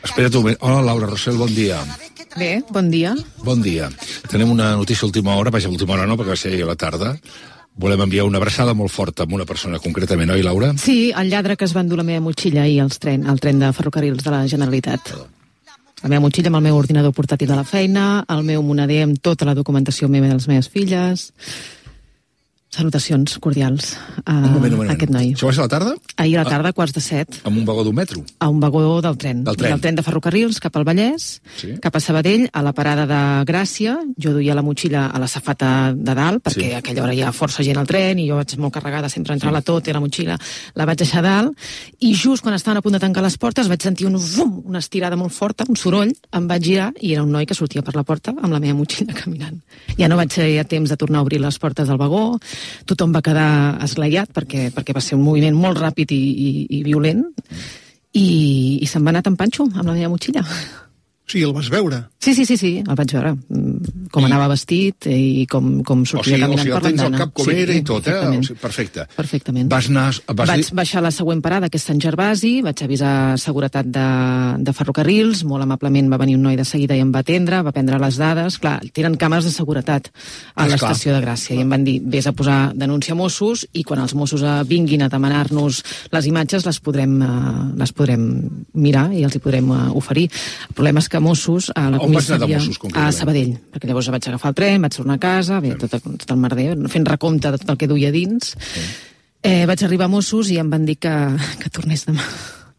Espera't un moment. Hola, Laura Rossell, bon dia. Bé, bon dia. Bon dia. Tenim una notícia a última hora, vaja, a última hora no, perquè va ser ahir a la tarda. Volem enviar una abraçada molt forta amb una persona concretament, oi, Laura? Sí, el lladre que es va endur la meva motxilla ahir al tren de ferrocarrils de la Generalitat. La meva motxilla amb el meu ordinador portàtil de la feina, el meu moneder amb tota la documentació meva i de les meves filles. Salutacions cordials a aquest noi. Això va ser a la tarda? Ahir a la tarda, 6:45. Amb un vagó d'un metro? A un vagó del tren. Del tren de ferrocarrils cap al Vallès, sí. Cap a Sabadell, a la parada de Gràcia. Jo duia la motxilla a la safata de dalt, perquè a aquella hora hi ha força gent al tren, i jo vaig molt carregada, sempre entrar-la tot, i la motxilla la vaig deixar dalt, i just quan estaven a punt de tancar les portes vaig sentir una estirada molt forta, un soroll, em vaig girar, i era un noi que sortia per la porta amb la meva motxilla caminant. Ja no vaig tenir temps de tornar a obrir les portes del vagó, tothom va quedar esglaiat perquè va ser un moviment molt ràpid i violent, i se'n va anar tan panxo amb la meva motxilla. Sí, el vas veure? Sí, el vaig veure. Com anava vestit i com sortia caminant per l'andana. O sigui, el tens al cap com era i tot, eh? Perfecte. Perfectament. Vaig baixar a la següent parada, que és Sant Gervasi, vaig avisar seguretat de ferrocarrils, molt amablement va venir un noi de seguida i em va atendre, va prendre les dades. Clar, tenen càmeres de seguretat a l'estació de Gràcia, i em van dir, vés a posar denúncia a Mossos, i quan els Mossos vinguin a demanar-nos les imatges les podrem mirar i els hi podrem oferir. El problema és que Mossos, a la comissaria, a Sabadell, perquè llavors vaig agafar el tren, vaig tornar a casa, bé, tot el merder, fent recompte de tot el que duia dins. Vaig arribar a Mossos i em van dir que tornés demà,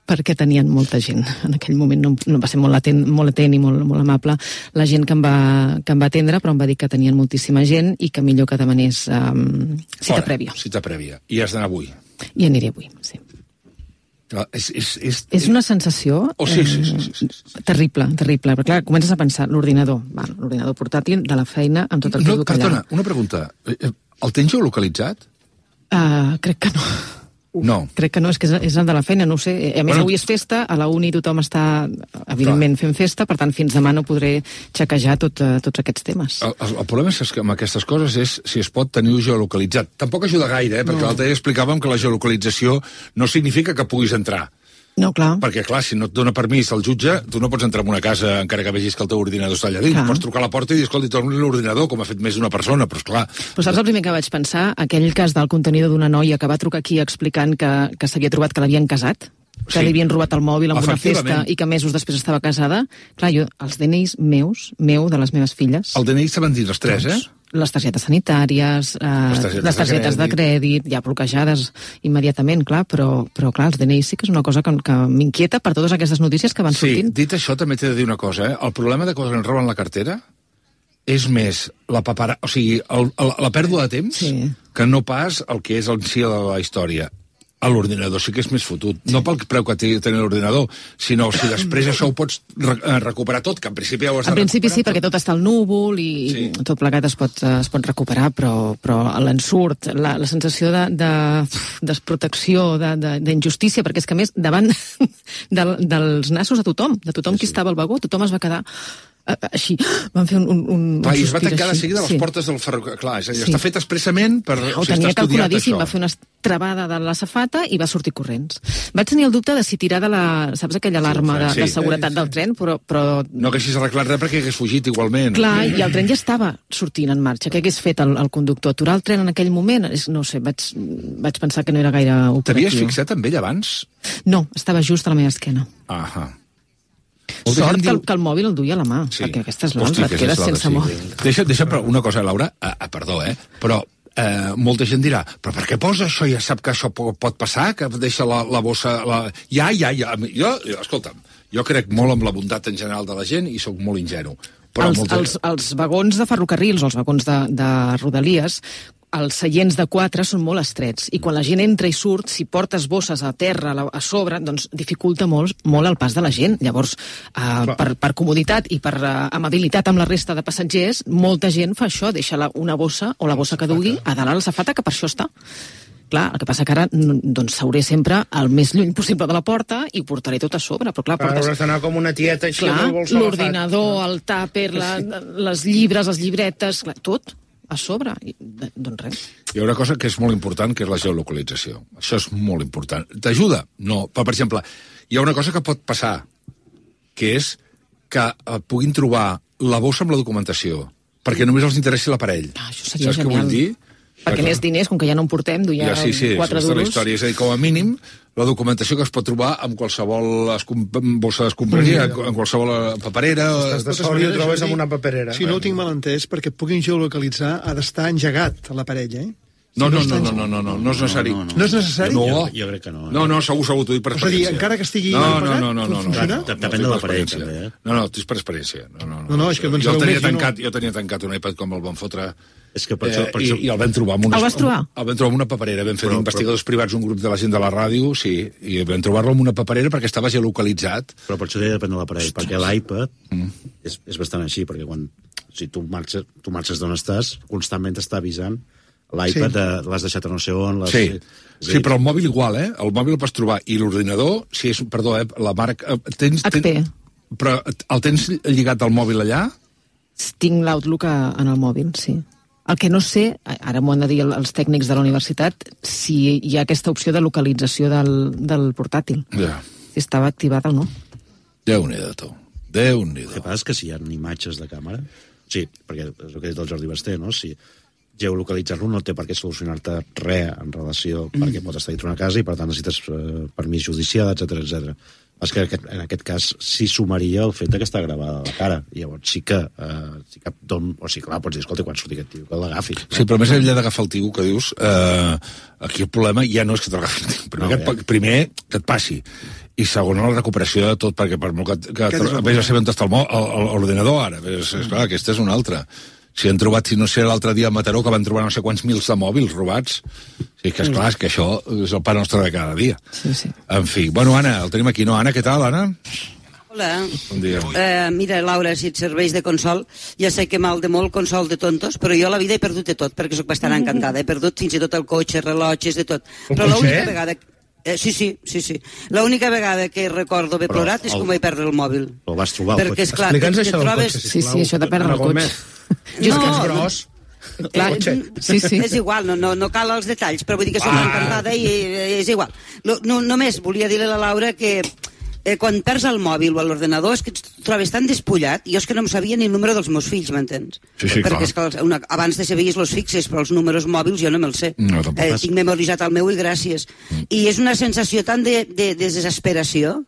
perquè tenien molta gent. En aquell moment no va ser molt atent i molt amable la gent que em va atendre, però em va dir que tenien moltíssima gent i que millor que demanés cita prèvia. Cita prèvia. I has d'anar avui? I aniré avui, sí. És una sensació terrible, perquè clar, comences a pensar l'ordinador portàtil de la feina amb tot el que duc allà. Perdona, una pregunta. El tens geolocalitzat? Crec que no. No. Crec que no, és que és el de la feina, no ho sé. A més, avui és festa, a la uni tothom està, evidentment, fent festa, per tant, fins demà no podré xequejar tots aquests temes. El problema és que amb aquestes coses és si es pot tenir geolocalitzat. Tampoc ajuda gaire, perquè l'altre dia explicàvem que la geolocalització no significa que puguis entrar. No, clar. Perquè, clar, si no et dona permís el jutge, tu no pots entrar en una casa encara que vegis que el teu ordinador està allà dins. Pots trucar a la porta i dir, escolta, torna l'ordinador, com ha fet més d'una persona, però esclar... Però saps el primer que vaig pensar? Aquell cas del contenidor d'una noia que va trucar aquí explicant que s'havia trobat que l'havien casat, que li havien robat el mòbil en una festa i que mesos després estava casada. Clar, jo, els DNIs meu, de les meves filles... El DNI saben dir les tres, Les targetes sanitàries, les targetes de crèdit, ja bloquejades immediatament, clar, però clar, els DNIs sí que és una cosa que m'inquieta per totes aquestes notícies que van sortint. Sí, dit això, també t'he de dir una cosa, El problema de quan ens roben la cartera és més la pèrdua de temps que no pas el que és el si de la història. A l'ordinador sí que és més fotut. No pel preu que té tenir l'ordinador, sinó si després això ho pots recuperar tot, que en principi ja ho has de recuperar. En principi sí, perquè tot està al núvol i tot plegat es pot recuperar, però l'ensurt, la sensació de desprotecció, d'injustícia, perquè és que a més, davant dels nassos de tothom qui estava al vagó, tothom es va quedar així, van fer un i es va tancar de seguida les portes del ferrocarril. Clar, és a dir, està fet expressament per... Ho tenia calculadíssim, va fer una travada de la safata i va sortir corrents. Vaig tenir el dubte de si tirar de la... Saps aquella alarma de seguretat del tren, però... No haguessis arreglat res perquè hagués fugit igualment. Clar, i el tren ja estava sortint en marxa. Què hagués fet el conductor? Aturar el tren en aquell moment? No sé, vaig pensar que no era gaire operatiu. T'havies fixat en ell abans? No, estava just a la meva esquena. Sort que el mòbil el duia a la mà, perquè aquesta és l'altra, et quedes sense mòbil. Deixa una cosa, Laura, perdó, però molta gent dirà, però per què posa això? Ja sap que això pot passar, que deixa la bossa... Escolta'm, jo crec molt en la bondat en general de la gent i sóc molt ingenu. Els vagons de ferrocarrils o els vagons de Rodalies, els seients de 4 són molt estrets, i quan la gent entra i surt, si portes bosses a terra, a sobre, doncs dificulta molt el pas de la gent. Llavors, per comoditat i per amabilitat amb la resta de passatgers, molta gent fa això, deixa una bossa o la bossa que dugui a dalt a la safata, que per això està. Clar, el que passa que ara doncs s'hauré sempre el més lluny possible de la porta i ho portaré tot a sobre, però clar, portes... Hauràs d'anar com una tieta així amb el bolso agafat. L'ordinador, el tàper, les llibres, les llibretes, clar, tot a sobre, doncs res. Hi ha una cosa que és molt important, que és la geolocalització. Això és molt important. T'ajuda? No. Però, per exemple, hi ha una cosa que pot passar, que és que puguin trobar la bossa amb la documentació, perquè només els interessi l'aparell. Això seria Saps genial. què vull dir? Perquè més diners, com que ja no en portem, duia 4 duros. La història. És a dir, com a mínim, la documentació que es pot trobar amb qualsevol bossa d'escombraria, en qualsevol paperera... Estàs de sort i ho trobes amb una paperera. Si no ho tinc mal entès, perquè puguin geolocalitzar, ha d'estar engegat l'aparell, eh? No és necessari. No és necessari? No, jo crec que no. No, segur, t'ho dic per experiència. És a dir, encara que estigui no, pagat, no. funciona? Depèn de l'aparell, també, eh? No, és per experiència. No, és que no en jo sabeu més. Jo tenia tancat un iPad com el van fotre... És que per això... I el vam trobar amb El vas trobar? El vam trobar amb una paperera. Vam fer investigadors privats, un grup de la gent de la ràdio, sí, i vam trobar-lo amb una paperera perquè estava geolocalitzat. Però per això deia depèn de l'aparell, perquè l'iPad és bastant així, perquè quan si tu marxes d'on estàs, constantment t'està avisant l'iPad, l'has deixat a no sé on... Sí, però el mòbil igual, eh? El mòbil el pots trobar. I l'ordinador, si és... Perdó, la marca... HP. Però el tens lligat al mòbil allà? Tinc l'Outlook en el mòbil, sí. El que no sé, ara m'ho han de dir els tècnics de la universitat, si hi ha aquesta opció de localització del portàtil. Ja. Si estava activat o no. Déu-n'hi-do, tu. Déu-n'hi-do. El que passa és que si hi ha imatges de càmera... Sí, perquè és el que ha dit el Jordi Basté, no? Si geolocalitzar-lo no té per què solucionar-te res en relació perquè pot estar dintre una casa i per tant necessites permís judicial, etc. És que en aquest cas sí sumaria el fet que està gravada la cara. I llavors sí que clar, pots dir, escolta, quan surti aquest tio, que l'agafi. Sí, però més enllà d'agafar el tio que dius, aquí el problema ja no és que t'agafi el tio. Primer, que et passi. I segon, la recuperació de tot, perquè per molt que vés a saber on està l'ordinador ara. És clar, aquesta és una altra. Si han trobat, si no sé, l'altre dia a Mataró, que van trobar no sé quants mils de mòbils robats. Sí, que esclar, és que això és el pa nostre de cada dia. Sí. En fi, bueno, Anna, el tenim aquí, no? Anna, què tal, Anna? Hola. Bon dia. Mira, Laura, si et serveix de consol, ja sé que mal de molt consol de tontos, però jo a la vida he perdut de tot, perquè sóc bastant encantada. He perdut fins i tot el cotxe, rellotges, de tot. Però l'única vegada... Sí. L'única vegada que recordo haver plorat és quan vaig perdre el mòbil. El vas trobar, el perquè, cotxe. esclar, Explica'ns això del cotxe, sisplau. Sí, això de perdre el cotxe. És que és gros. Clar, sí. És igual, no cal els detalls, però vull dir que soc encantada i és igual. Només volia dir-li a la Laura que quan perds el mòbil o l'ordenador és que et trobes tan despullat, jo és que no em sabia ni el número dels meus fills, m'entens? Sí, perquè és que abans de saber els fixes, però els números mòbils jo no me'ls sé. No, tinc memoritzat el meu i gràcies. I és una sensació tan de desesperació.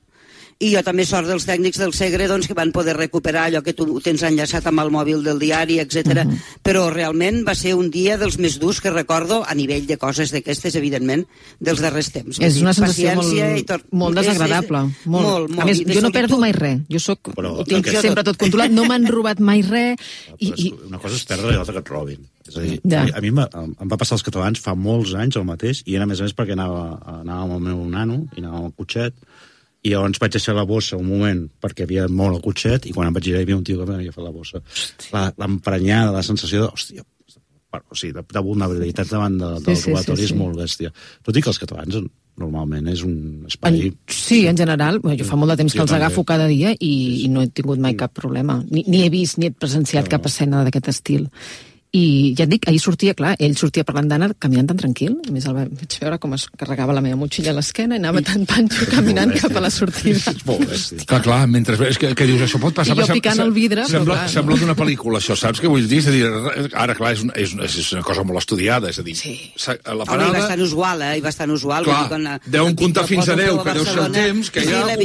I jo també sort dels tècnics del Segre doncs, que van poder recuperar allò que tu tens enllaçat amb el mòbil del diari, etc. Però realment va ser un dia dels més durs que recordo, a nivell de coses d'aquestes, evidentment, dels darrers temps. És una sensació molt desagradable. Molt. A més, jo no perdo mai res. Ho tinc sempre tot controlat, no m'han robat mai res. Una cosa és perdre i l'altra que et robin. És a dir, a mi em va passar als catalans fa molts anys el mateix, i era a més perquè anava amb el meu nano, i anava amb el cotxet, i llavors vaig deixar la bossa un moment perquè havia molt el cotxet i quan em vaig girar hi havia un tio que m'havia fet la bossa. L'emprenyada, la sensació de, hòstia, de vulnerabilitat davant del robatori és molt bèstia. Tot i que els catalans normalment és un espai... Sí, en general. Jo fa molt de temps que els agafo cada dia i no he tingut mai cap problema. Ni he vist ni he presenciat cap escena d'aquest estil. I ja et dic, ahir sortia, clar, ell sortia parlant d'Anna caminant tan tranquil, a més el vaig veure com es carregava la meva motxilla a l'esquena i anava tan panxo caminant cap a la sortida. És molt bèstia. Clar, mentre... És que dius, això pot passar... I jo picant el vidre... Sembla d'una pel·lícula, això, saps què vull dir? És a dir, ara, clar, és una cosa molt estudiada, és a dir... Sí. La parada... I bastant usual, i bastant usual. Clar, deuen comptar fins a 10, que deu ser el temps, que hi ha...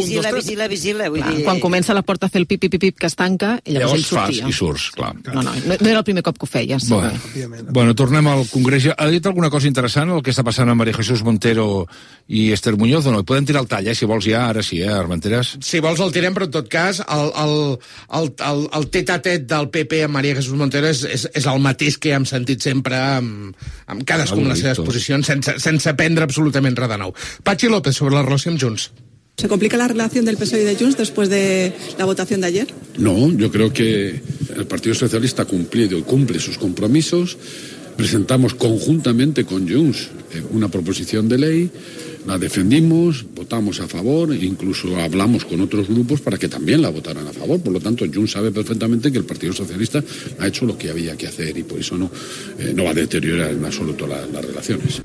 Vigila. Quan comença la porta a fer el pip-pip-pip que es tanca, llavors ell sortia. Llavors fas i surts, clar. No era el primer cop que ho feies. Bueno, tornem al Congrés. Ha dit alguna cosa interessant el que està passant amb María Jesús Montero i Esther Muñoz o no? Podem tirar el tall, si vols ja, ara sí, Armenteres? Si vols el tirem, però en tot cas el tete-a-tete del PP amb María Jesús Montero és el mateix que hem sentit sempre amb cadascuna de les seves posicions sense prendre absolutament res de nou. Patxi López, sobre la relació amb Junts. ¿Se complica la relación del PSOE y de Junts después de la votación de ayer? No, yo creo que el Partido Socialista ha cumplido y cumple sus compromisos. Presentamos conjuntamente con Junts una proposición de ley, la defendimos, votamos a favor, e incluso hablamos con otros grupos para que también la votaran a favor. Por lo tanto, Junts sabe perfectamente que el Partido Socialista ha hecho lo que había que hacer y por eso no va a deteriorar en absoluto las relaciones.